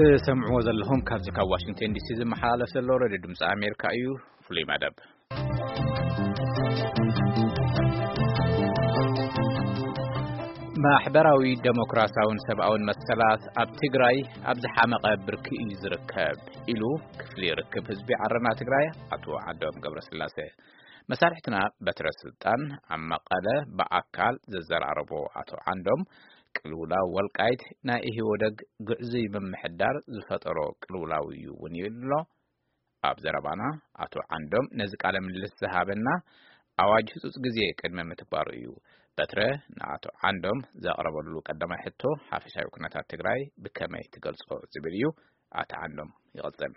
ትሰምዕዎ ዘለኹም ካብዚ ካብ ዋሽንግተን ዲሲ ዝመሓላለፍ ዘሎ ሬድዮ ድምፂ ኣሜሪካ እዩ። ፍሉይ መደብ። ማሕበራዊ፣ ደሞክራሲያውን ሰብኣውን መሰላት ኣብ ትግራይ ኣብ ዝሓመቐ ብርኪ እዩ ዝርከብ ኢሉ ክፍሊ ርክብ ህዝቢ ዓረና ትግራይ ኣቶ ዓንዶም ገብረስላሴ። መሳርሕትና በትረ ስልጣን ኣብ መቐለ ብኣካል ዘዘራረቦ ኣቶ ዓንዶም፣ ቅልውላው ወልቃይት ናይ ኢህወደግ ግዕዙይ ምምሕዳር ዝፈጠሮ ቅልውላው እዩ እውን ይብል ኣሎ። ኣብ ዘረባና ኣቶ ዓንዶም ነዚ ቃለ ምልልስ ዝሃበና ኣዋጅ ህጹጽ ግዜ ቅድሚ ምትግባሩ እዩ። በትረ ንኣቶ ዓንዶም ዘቕረበሉ ቀዳማይ ሕቶ፣ ሓፈሻዊ ኩነታት ትግራይ ብከመይ ትገልጾ ዝብል እዩ። ኣቶ ዓንዶም ይቕጽል።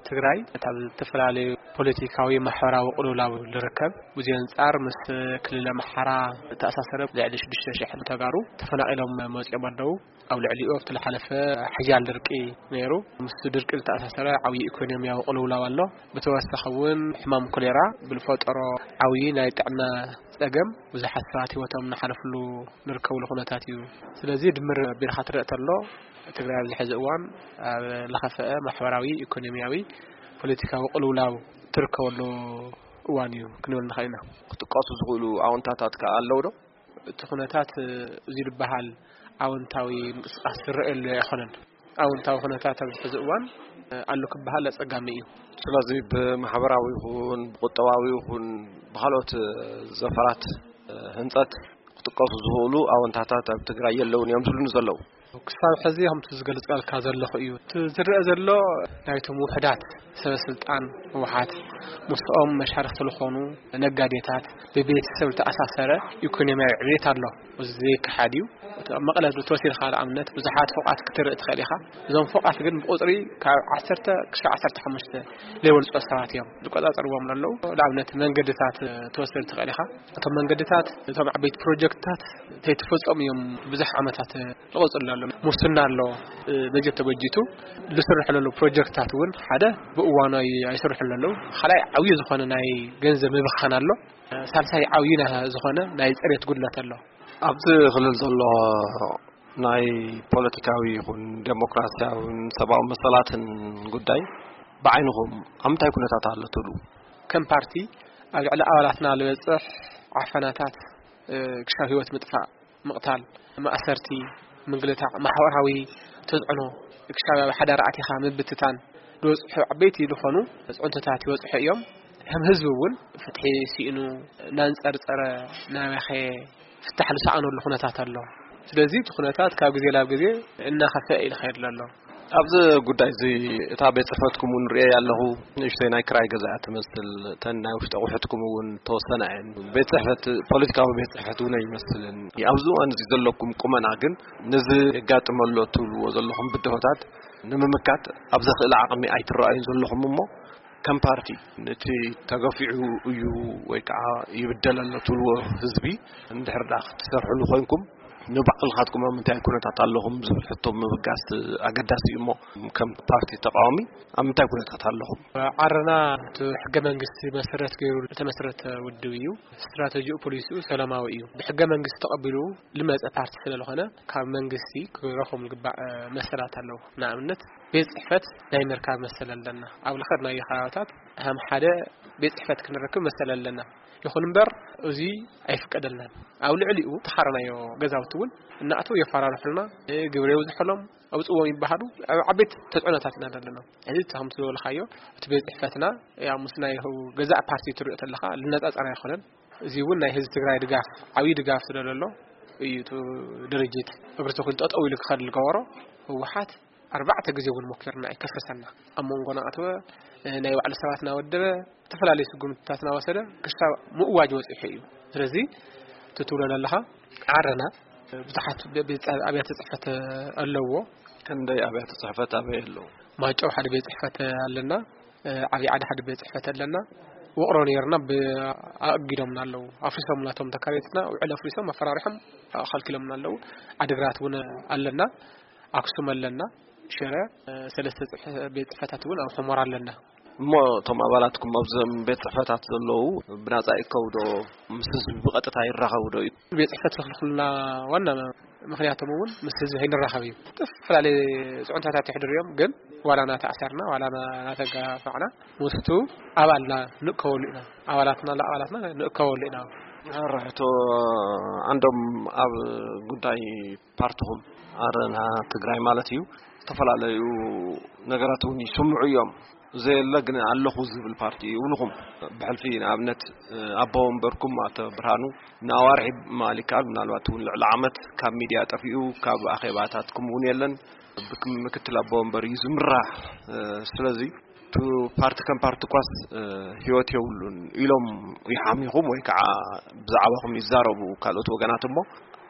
ትግራይ ካብ ዝተፈላለዩ ፖለቲካዊ፣ ማሕበራዊ ቅልውላው ዝርከብ፣ ብዚ ኣንጻር ምስ ክልል ኣምሓራ ዝተኣሳሰረ ልዕሊ ሽዱሽተ ሽሕ ተጋሩ ተፈናቒሎም መጺኦም ኣለዉ። ኣብ ልዕሊኡ ኣብቲ ዝሓለፈ ሓያል ድርቂ ነይሩ። ምስ ድርቂ ዝተኣሳሰረ ዓብዪ ኢኮኖሚያዊ ቅልውላው ኣሎ። ብተወሳኺ እውን ሕማም ኮሌራ ብዝፈጠሮ ዓብዪ ናይ ጥዕና ጸገም ብዙሓት ሰባት ህይወቶም እናሓለፍሉ ንርከብሉ ኩነታት እዩ። ስለዚ ድምር ኣቢልካ ትረእ ተሎ ትግራይ ኣብዚ ሕዚ እዋን ኣብ ለኸፈአ ማሕበራዊ፣ ኢኮኖሚያዊ፣ ፖለቲካዊ ቅልውላው ትርከበሉ እዋን እዩ ክንብል ንኽእል ኢና። ክጥቀሱ ዝኽእሉ ኣወንታታት ከኣ ኣለዉ ዶ? እቲ ኩነታት እዚ ዝበሃል ኣወንታዊ ምንቅስቃስ ዝረኣየሉ ኣይኮነን። ኣወንታዊ ኩነታት ኣብዚ ሕዚ እዋን ኣሎ ክበሃል ኣጸጋሚ እዩ። ስለዚ ብማሕበራዊ ይኹን ብቁጠባዊ ይኹን ብኻልኦት ዘፈራት ህንጸት ክጥቀሱ ዝኽእሉ ኣወንታታት ኣብ ትግራይ የለውን እዮም ዝብሉኒ ዘለዉ። ክሳብ ሕዚ ከምቲ ዝገልጸልካ ዘለኹ እዩ። እቲ ዝረአ ዘሎ ናይቶም ውሑዳት ሰበ ስልጣን ህወሓት፣ ምስኦም መሻርክቲ ዝኾኑ ነጋዴታት፣ ብቤተሰብ ዝተኣሳሰረ ኢኮኖሚያዊ ዕቤት ኣሎ። እዚ ዘይከሓድ እዩ። እቲ ኣብ መቐለ ተወሲድካ ንኣብነት ብዙሓት ፎቓት ክትርኢ ትኽእል ኢኻ። እዞም ፎቓት ግን ብቁጽሪ ካብ ዓሰርተ ክሳብ ዓሰርተ ሓሙሽተ ዘይበልጹ ሰባት እዮም ዝቆጻጸርዎም ዘለዉ። ንኣብነት መንገድታት ትወስድ ትኽእል ኢኻ። እቶም መንገድታት፣ እቶም ዓበይቲ ፕሮጀክትታት ተይተፈጸሙ እዮም ብዙሕ ዓመታት ዝቐጽሉ ኣሎ። ሙስና ኣሎ። በጀት ተበጂቱ ዝስርሑ ዘለዉ ፕሮጀክትታት እውን ሓደ ብእዋኑ ኣይ-፣ ኣይስርሑን ዘለዉ። ካልኣይ ዓብዪ ዝኾነ ናይ ገንዘብ ምብኻን ኣሎ። ሳልሳይ ዓብዪ ና-፣ ዝኾነ ናይ ጽሬት ጉድለት ኣሎ። ኣብዚ ክልል ዘሎ ናይ ፖለቲካዊ ይኹን ዴሞክራሲያውን ሰብኣዊ መሰላትን ጉዳይ ብዓይንኹም ኣብ ምንታይ ኩነታት ኣሎ ትብሉ? ከም ፓርቲ ኣብ ልዕሊ ኣባላትና ዝበጽሕ ዓፈናታት፣ እ፣ ክሻብ ህይወት ምጥፋእ፣ ምቕታል፣ ማእሰርቲ፣ ምግልታዕ፣ ማሕበራዊ ተጽዕኖ፣ ክሻብ ኣብ ሓዳር ኣቲኻ ምብትታን ዝበጽሑ ዓበይቲ ዝኾኑ ጽዕንቶታት ይበጽሑ እዮም። ከም ህዝቢ እውን ፍትሒ ስኢኑ እናንጸርጸረ ናበኸ ፍታሕ ዝሰኣነሉ ኩነታት ኣሎ። ስለዚ እቲ ኩነታት ካብ ግዜ ናብ ግዜ እናኸፍአ እዩ ዝኸይድ ዘሎ። ኣብዚ ጉዳይ እዚ እታ ቤት ጽሕፈትኩም እውን ርእየ ኣለኹ፣ ንእሽተይ ናይ ክራይ ገዛ እያ ትመስል። እተን ናይ ውሽጢ ኣቑሑትኩም እውን ተወሰና እየን። ቤት ጽሕፈት፣ ፖለቲካዊ ቤት ጽሕፈት እውን ኣይመስልን። ኣብዚ እዋን እዚ ዘለኩም ቁመና ግን ነዚ የጋጥመ ኣሎ ትብልዎ ዘለኹም ብድሆታት ንምምካት ኣብ ዘኽእል ዓቕሚ ኣይትረኣዩን ዘለኹም እሞ፣ ከም ፓርቲ ነቲ ተገፊዑ እዩ ወይ ከዓ ይብደል ኣሎ ትብልዎ ህዝቢ እንድሕር ደኣ ክትሰርሕሉ ኮይንኩም፣ ንባዕልኻትኩም ኣብ ምንታይ ኩነታት ኣለኹም ዝብል ሕቶ ምብጋስ ኣገዳሲ እዩ እሞ፣ ከም ፓርቲ ተቃዋሚ ኣብ ምንታይ ኩነታት ኣለኹም? ዓረና እቲ ሕገ መንግስቲ መሰረት ገይሩ ዝተመስረተ ውድብ እዩ። ስትራተጂኡ፣ ፖሊሲኡ ሰላማዊ እዩ። ብሕገ መንግስቲ ተቐቢሉ ልመጸ ፓርቲ ስለ ዝኾነ፣ ካብ መንግስቲ ክረኽቦም ዝግባእ መሰላት ኣለዉ። ንኣብነት፣ ቤት ጽሕፈት ናይ ምርካብ መሰል ኣለና። ኣብ ልኸድናዮ ከባቢታት ከም ሓደ ቤት ጽሕፈት ክንረክብ መሰል ኣለና። ይኹን እምበር፣ እዚ ኣይፍቀደልናን። ኣብ ልዕሊኡ ተኻረናዮ ገዛውቲ እውን እናእተዉ የፈራርሑልና፣ ግብሪ የብዝሑሎም፣ ኣውጽዎም ይበሃሉ። ኣብ ዓበይቲ ተጽዕኖታት ኢና ዘለና። እዚ ከምቲ ዝበልካዮ፣ እቲ ቤት ጽሕፈትና፣ ያው፣ ምስ ናይ ገዛእ ፓርቲ ትሪኦ ተለኻ፣ ልነጻጸር ኣይኮነን። እዚ እውን ናይ ህዝቢ ትግራይ ድጋፍ፣ ዓብዪ ድጋፍ ስለ ዘሎ እዩ። እቲ ድርጅት እግሪ ተኺሉ ጠጠው ኢሉ ክኸድ ዝገበሮ። ህወሓት ኣርባዕተ ግዜ እውን ሞኪርና፣ ኣይከፈሰና። ኣብ መንጎና ኣተወ፣ ናይ ባዕሉ ሰባት እናወደበ፣ ዝተፈላለዩ ስጉምትታት እናወሰደ ክሳብ ምእዋጅ በፂሑ እዩ። ስለዚ እቲ ትብሎ ዘለኻ ዓረና ብዙሓት ቤ-፣ ቤት፣ ኣብያተ ፅሕፈት ኣለዎ። ክንደይ ኣብያተ ፅሕፈት ኣበይ ኣለዉ? ማይጨው ሓደ ቤት ፅሕፈት ኣለና። ዓብዪ ዓዲ ሓደ ቤት ፅሕፈት ኣለና። ውቕሮ ነይርና፣ ብ-፣ ኣእጊዶምና ኣለዉ። ኣፍሪሶም፣ ናቶም ተካረይትና ውዕል ኣፍሪሶም፣ ኣፈራሪሖም ኣኸልኪሎምና ኣለዉ። ዓዲግራት እውን ኣለና፣ ኣክሱም ኣለና፣ ሽረ፣ ሰለስተ ፅሕ-፣ ቤት ፅሕፈታት እውን ኣብ ሑመራ ኣለና። እሞ እቶም ኣባላትኩም ኣብዞም ቤት ፅሕፈታት ዘለዉ ብናፃ ይእከቡ ዶ? ምስ ህዝቢ ብቐጥታ ይራኸቡ ዶ? ቤት ፅሕፈት ዝኽልክሉና ዋና ምኽንያቶም እውን ምስ ህዝቢ ከይንራኸብ እዩ። ዝተፈላለዩ ፅዕንቶታት ይሕድሩ እዮም። ግን ዋላ እናተኣሰርና ዋላ እናተጋፋዕና ምስቱ ኣባልና ንእከበሉ ኢና። ኣባላትና ለኣባላትና ንእከበሉ ኢና። ሕቶ ዓንዶም፣ ኣብ ጉዳይ ፓርትኹም ኣረና ትግራይ ማለት እዩ፣ ዝተፈላለዩ ነገራት እውን ይስምዑ እዮም። ዘየለ ግን ኣለኹ ዝብል ፓርቲ ይብልኹም። ብሕልፊ ንኣብነት ኣቦ ወንበርኩም ኣቶ ብርሃኑ ንኣዋርሒ ማለት ይከኣል፣ ምናልባት እውን ልዕሊ ዓመት ካብ ሚድያ ጠፊኡ፣ ካብ ኣኼባታትኩም እውን የለን። ብክም ምክትል ኣቦ ወንበር እዩ ዝምራሕ። ስለዚ እቲ ፓርቲ ከም ፓርቲ ኳስ ህይወት የብሉን ኢሎም ይሓሚኹም ወይ ከዓ ብዛዕባኹም ይዛረቡ ካልኦት ወገናት። እሞ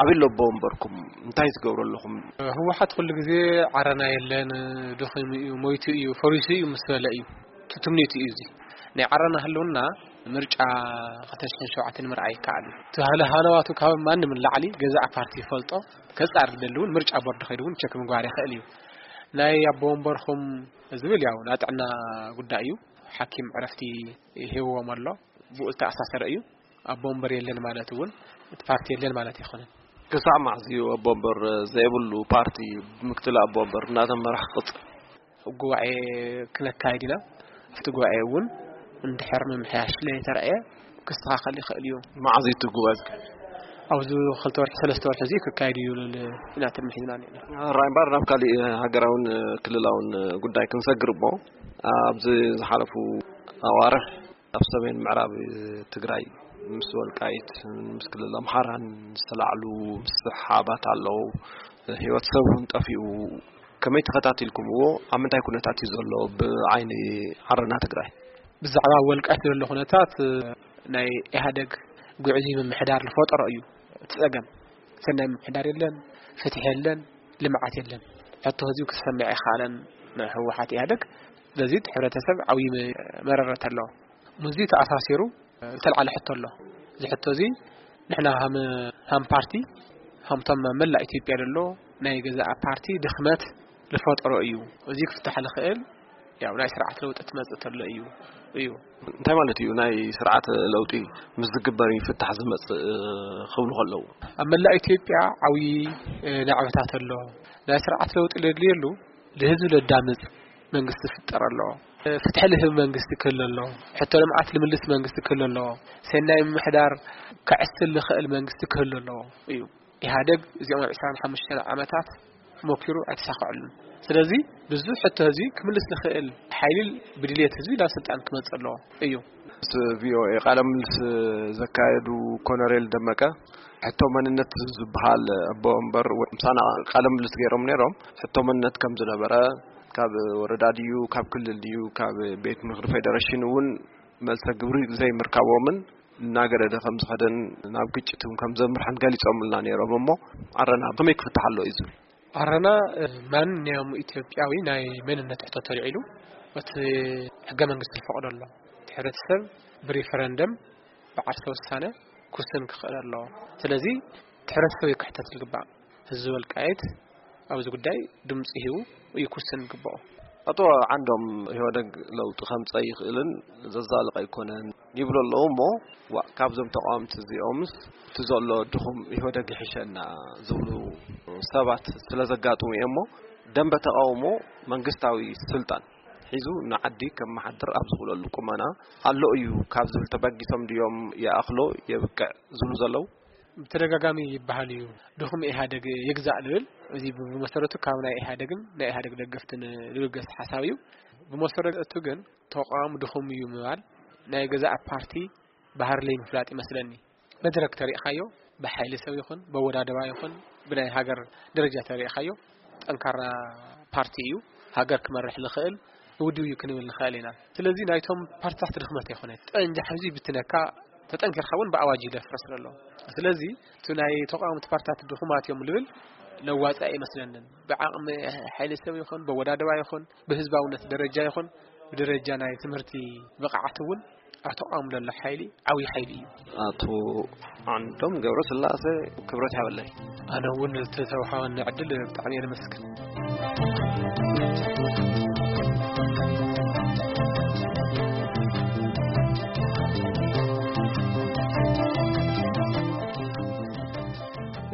ኣበይ ኣሎ ኣቦ ወንበርኩም? እንታይ ትገብሩ ኣለኹም? ህወሓት ኩሉ ግዜ ዓረና የለን፣ ድኺሙ እዩ፣ ሞይቱ እዩ፣ ፈሪሱ እዩ ምስ በለ እዩ። እቲ ትምኒቱ እዩ እዚ። ናይ ዓረና ህልውና ምርጫ ክልተ ሽሕን ሸውዓተን ምርኣይ ይከኣል እዩ። እቲ ሃለ ሃለዋቱ ካብ ማንም ንላዕሊ ገዛእ ፓርቲ ይፈልጦ። ከጻር ዝደሊ እውን ምርጫ ቦርድ ከይዱ እውን ቸክ ምግባር ይኽእል እዩ። ናይ ኣቦ ወንበርኹም ዝብል ያው ናይ ጥዕና ጉዳይ እዩ። ሓኪም ዕረፍቲ ሂብዎም ኣሎ። ብኡ ዝተኣሳሰረ እዩ። ኣቦ ወንበር የለን ማለት እውን እቲ ፓርቲ የለን ማለት ኣይኮነን። ክሳዕ መዓዝ እዩ ኣቦ ወንበር ዘይብሉ ፓርቲ ብምክትል ኣቦ ወንበር እናተመራሕ ክቕፅል? ጉባኤ ክነካይድ ኢና። ኣብቲ ጉባኤ እውን እንድሕር ምምሕያሽ ለይተረኣየ ክስተኻኸል ይኽእል እዩ። መዓዝ እዩ እቲ ጉባኤ ዝካየድ? ኣብዚ ክልተ ወርሒ ሰለስተ ወርሒ እዚ ክካየድ እዩ ልብል ኢና ትልሚ ሒዝና ነና። ራይ እምበር ናብ ካሊእ ሃገራውን ክልላውን ጉዳይ ክንሰግር እሞ ኣብዚ ዝሓለፉ ኣዋርሕ ኣብ ሰሜን ምዕራብ ትግራይ ምስ ወልቃይት ምስ ክልል ኣምሓራን ዝተላዕሉ ምስሕሓባት ኣለዉ። ህይወት ሰብ እውን ጠፊኡ። ከመይ ተኸታቲልኩምዎ? ኣብ ምንታይ ኩነታት እዩ ዘሎ ብዓይኒ ዓረና ትግራይ? ብዛዕባ ወልቃይት ዘሎ ኩነታት ናይ ኢህኣደግ ጉዕዚ ምምሕዳር ዝፈጠሮ እዩ እቲ ጸገም። ሰናይ ምምሕዳር የለን፣ ፍትሒ የለን፣ ልምዓት የለን። ሕቶ ህዝቢ ክሰምዕ ኣይከኣለን ንህወሓት ኢህኣደግ። ስለዚ እቲ ሕብረተሰብ ዓብዪ መረረት ኣለዎ። ምስዚ ተኣሳሲሩ ዝተልዓለ ሕቶ ኣሎ። እዚ ሕቶ እዚ ንሕና ሃም ሃም ፓርቲ ሃምቶም መላእ ኢትዮጵያ ዘሎ ናይ ገዛእ ፓርቲ ድኽመት ዝፈጠሮ እዩ። እዚ ክፍታሕ ዝኽእል ያው ናይ ስርዓት ለውጢ ትመጽእ ተሎ እዩ እዩ። እንታይ ማለት እዩ ናይ ስርዓት ለውጢ ምስ ዝግበር ይፍታሕ ዝመጽእ ክብሉ ከለዉ? ኣብ መላእ ኢትዮጵያ ዓብዪ ናዕበታት ኣሎ። ናይ ስርዓት ለውጢ ለድልየሉ ንህዝቢ ለዳምፅ መንግስቲ ክፍጠር ኣለዎ። ፍትሒ ልህብ መንግስቲ ክህሉ ኣለዎ። ሕቶ ልምዓት ልምልስ መንግስቲ ክህሉ ኣለዎ። ሰናይ ምምሕዳር ከዕስል ዝኽእል መንግስቲ ክህሉ ኣለዎ እዩ። ኢህኣደግ እዚኦም ኣብ ዕስራን ሓሙሽተን ዓመታት ሞኪሩ ኣይተሳኽዐሉን። ስለዚ ብዙሕ ሕቶ ህዝቢ ክምልስ ዝኽእል ሓይሊ ብድልየት ህዝቢ ናብ ስልጣን ክመፅእ ኣለዎ እዩ። ምስ ቪኦኤ ቃለ ምልልስ ዘካየዱ ኮነሬል ደመቀ ሕቶ መንነት ዝበሃል ኣቦ ወንበር ምሳና ቃለ ምልልስ ገይሮም ነይሮም። ሕቶ መንነት ከም ዝነበረ፣ ካብ ወረዳ ድዩ ካብ ክልል ድዩ ካብ ቤት ምኽሪ ፌደሬሽን እውን መልሰ ግብሪ ዘይምርካቦምን እናገደደ ከም ዝኸደን ናብ ግጭት እውን ከም ዘምርሐን ገሊፆምልና ነይሮም። እሞ ዓረና ከመይ ክፍታሕ ኣሎ እዩ ዝብል? ዓረና ማንኛውም ኢትዮጵያዊ ናይ መንነት ሕቶ ተልዒሉ እቲ ሕገ መንግስቲ ዝፈቕዶ ኣሎ። እቲ ሕብረተሰብ ብሪፈረንደም ብዓርሰ ውሳነ ክውስን ክኽእል ኣለዎ። ስለዚ እቲ ሕብረተሰብ እዩ ክሕተት ዝግባእ። ህዝቢ ወልቃይት ኣብዚ ጉዳይ ድምፂ ሂቡ እዩ ክውስን ዝግብኦ። ኣቶ ዓንዶም፣ ኢህወደግ ለውጢ ከምፀእ ይኽእልን ዘዛልቕ ኣይኮነን ይብሉ ኣለዉ። እሞ ዋእ፣ ካብዞም ተቃወምቲ እዚኦምስ እቲ ዘሎ ድኹም ኢህወደግ ይሕሸና ዝብሉ ሰባት ስለ ዘጋጥሙ እዮም። እሞ ደንበ ተቃውሞ መንግስታዊ ስልጣን ሒዙ ንዓዲ ከመሓድር ኣብ ዝኽእለሉ ቁመና ኣሎ እዩ ካብ ዝብል ተበጊሶም ድዮም ይኣኽሎ የብቅዕ ዝብሉ ዘለዉ? ብተደጋጋሚ ይበሃል እዩ። ድኹም ኢህኣደግ ይግዛእ ዝብል፣ እዚ ብመሰረቱ ካብ ናይ ኢህኣደግን ናይ ኢህኣደግ ደገፍትን ዝብገስ ሓሳብ እዩ። ብመሰረቱ ግን ተቋም ድኹም እዩ ምባል ናይ ገዛእ ፓርቲ ባህሪ ለይምፍላጥ ይመስለኒ። መድረክ ተሪእኻዮ፣ ብሓይሊ ሰብ ይኹን ብኣወዳድባ ይኹን ብናይ ሃገር ደረጃ ተሪእኻዮ፣ ጠንካራ ፓርቲ እዩ። ሃገር ክመርሕ ዝኽእል ውድብ እዩ ክንብል ንኽእል ኢና። ስለዚ ናይቶም ፓርትታት ድኽመት ኣይኮነን። ጠንጃ ሕዚ ይብትነካ፣ ተጠንኪርካ እውን ብኣዋጅ እዩ ዘፍርስ ዘሎ። ስለዚ እቲ ናይ ተቃወምቲ ፓርትታት ድኹማት እዮም ልብል ለዋፂ ኣይመስለንን። ብዓቕሚ ሓይሊ ሰብ ይኹን ብኣወዳድባ ይኹን ብህዝባውነት ደረጃ ይኹን ብደረጃ ናይ ትምህርቲ ብቕዓት እውን ኣብ ተቃውሞ ዘሎ ሓይሊ ዓብዪ ሓይሊ እዩ። ኣቶ ዓንዶም ገብረስላሴ፣ ክብረት ይሃበለይ። ኣነ እውን ዝተተውሃበኒ ዕድል ብጣዕሚ እየ ዘመስግን።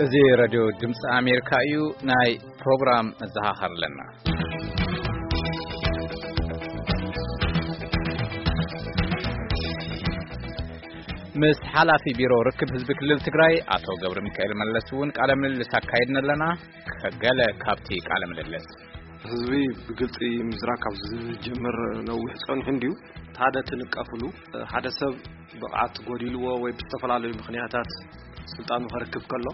እዚ ሬድዮ ድምፂ ኣሜሪካ እዩ። ናይ ፕሮግራም መዘኻኸር ኣለና። ምስ ሓላፊ ቢሮ ርክብ ህዝቢ ክልል ትግራይ ኣቶ ገብረ ሚካኤል መለስ እውን ቃለ ምልልስ ኣካይድና ኣለና። ከገለ ካብቲ ቃለ ምልልስ። ህዝቢ ብግልፂ ምዝራብ ካብ ዝጀምር ነዊሕ ፀኒሑ እንድዩ። ሓደ ትንቀፍሉ፣ ሓደ ሰብ ብቕዓት ጎዲልዎ ወይ ብዝተፈላለዩ ምኽንያታት ስልጣኑ ከረክብ ከሎ፣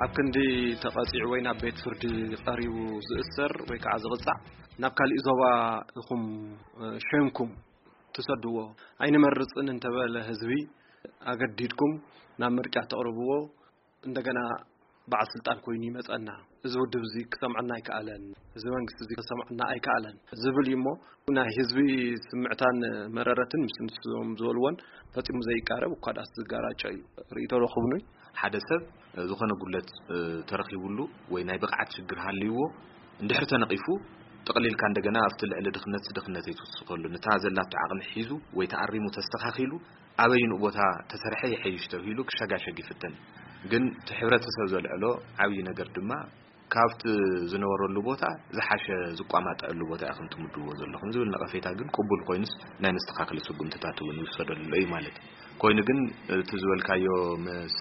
ኣብ ክንዲ ተቐፂዑ ወይ ናብ ቤት ፍርዲ ቀሪቡ ዝእሰር ወይ ከዓ ዝቕፃዕ፣ ናብ ካሊእ ዞባ ኢኹም ሸንኩም ትሰድዎ፣ ኣይንመርፅን እንተበለ ህዝቢ ኣገዲድኩም ናብ ምርጫ ተቕርብዎ፣ እንደገና በዓል ስልጣን ኮይኑ ይመፀና። እዚ ውድብ እዚ ክሰምዐና ኣይከኣለን፣ እዚ መንግስቲ እዚ ክሰምዐና ኣይከኣለን ዝብል እዩ። እሞ ናይ ህዝቢ ስምዕታን መረረትን ምስ ንሶም ዝበልዎን ፈፂሙ ዘይቃረብ፣ እኳ ዳስ ዝጋራጨ እዩ። ርእይቶ ዶ ክብኑይ? ሓደ ሰብ ዝኾነ ጉለት ተረኺቡሉ ወይ ናይ ብቕዓት ሽግር ሃልይዎ እንድሕር ተነቒፉ፣ ጠቕሊልካ እንደገና ኣብቲ ልዕሊ ድኽነት ድኽነት ኣይትውስኸሉ። ነታ ዘላቶ ዓቕሚ ሒዙ ወይ ተኣሪሙ ተስተኻኺሉ ኣበይንኡ ቦታ ተሰርሐ ይሐይሽ ተብሂሉ ክሸጋሸግ ይፍተን። ግን እቲ ሕብረተሰብ ዘልዕሎ ዓብዪ ነገር ድማ ካብቲ ዝነበረሉ ቦታ ዝሓሸ ዝቋማጠዐሉ ቦታ ኢኹም ትምድብዎ ዘለኹም ዝብል ነቐፌታ ግን ቅቡል ኮይኑስ ናይ መስተኻኸሊ ስጉምትታት እውን ይውሰደሉ እዩ ማለት እዩ። ኮይኑ ግን እቲ ዝበልካዮ ምስ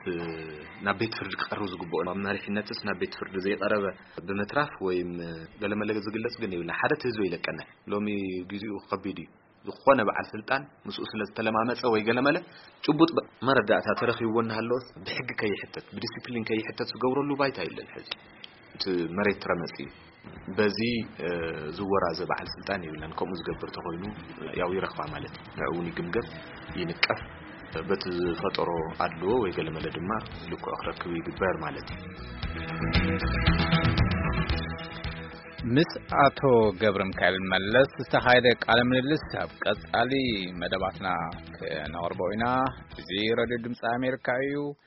ናብ ቤት ፍርዲ ክቐርብ ዝግብኦ ኣብ መሪሕነትስ ናብ ቤት ፍርዲ ዘይቀረበ ብምትራፍ ወይም ገለመለ ዝግለጽ ግን የብልና። ሓደ እቲ ህዝቢ ይለቀና። ሎሚ ግዜኡ ከቢድ እዩ። ዝኾነ በዓል ስልጣን ምስኡ ስለ ዝተለማመፀ ወይ ገለመለ ጭቡጥ በ- መረዳእታ ተረኺብዎ እናሃለወስ ብሕጊ ከይሕተት ብዲሲፕሊን ከይሕተት ዝገብረሉ ባይታ የለን። ሕዚ እቲ መሬት ረመፅ እዩ። በዚ ዝወራዘ በዓል ስልጣን የብለን። ከምኡ ዝገብር ተኮይኑ ያው ይረኽባ ማለት እዩ። ንዕኡ እውን ይግምገም፣ ይንቀፍ፣ በቲ ዝፈጠሮ ኣድልዎ ወይ ገለመለ ድማ ልክዑ ክረክብ ይግበር ማለት እዩ። ምስ ኣቶ ገብረ ሚካኤል መለስ ዝተኻየደ ቃለ ምልልስ ኣብ ቀጻሊ መደባትና ክነቕርቦ ኢና። እዚ ሬድዮ ድምፂ ኣሜሪካ እዩ።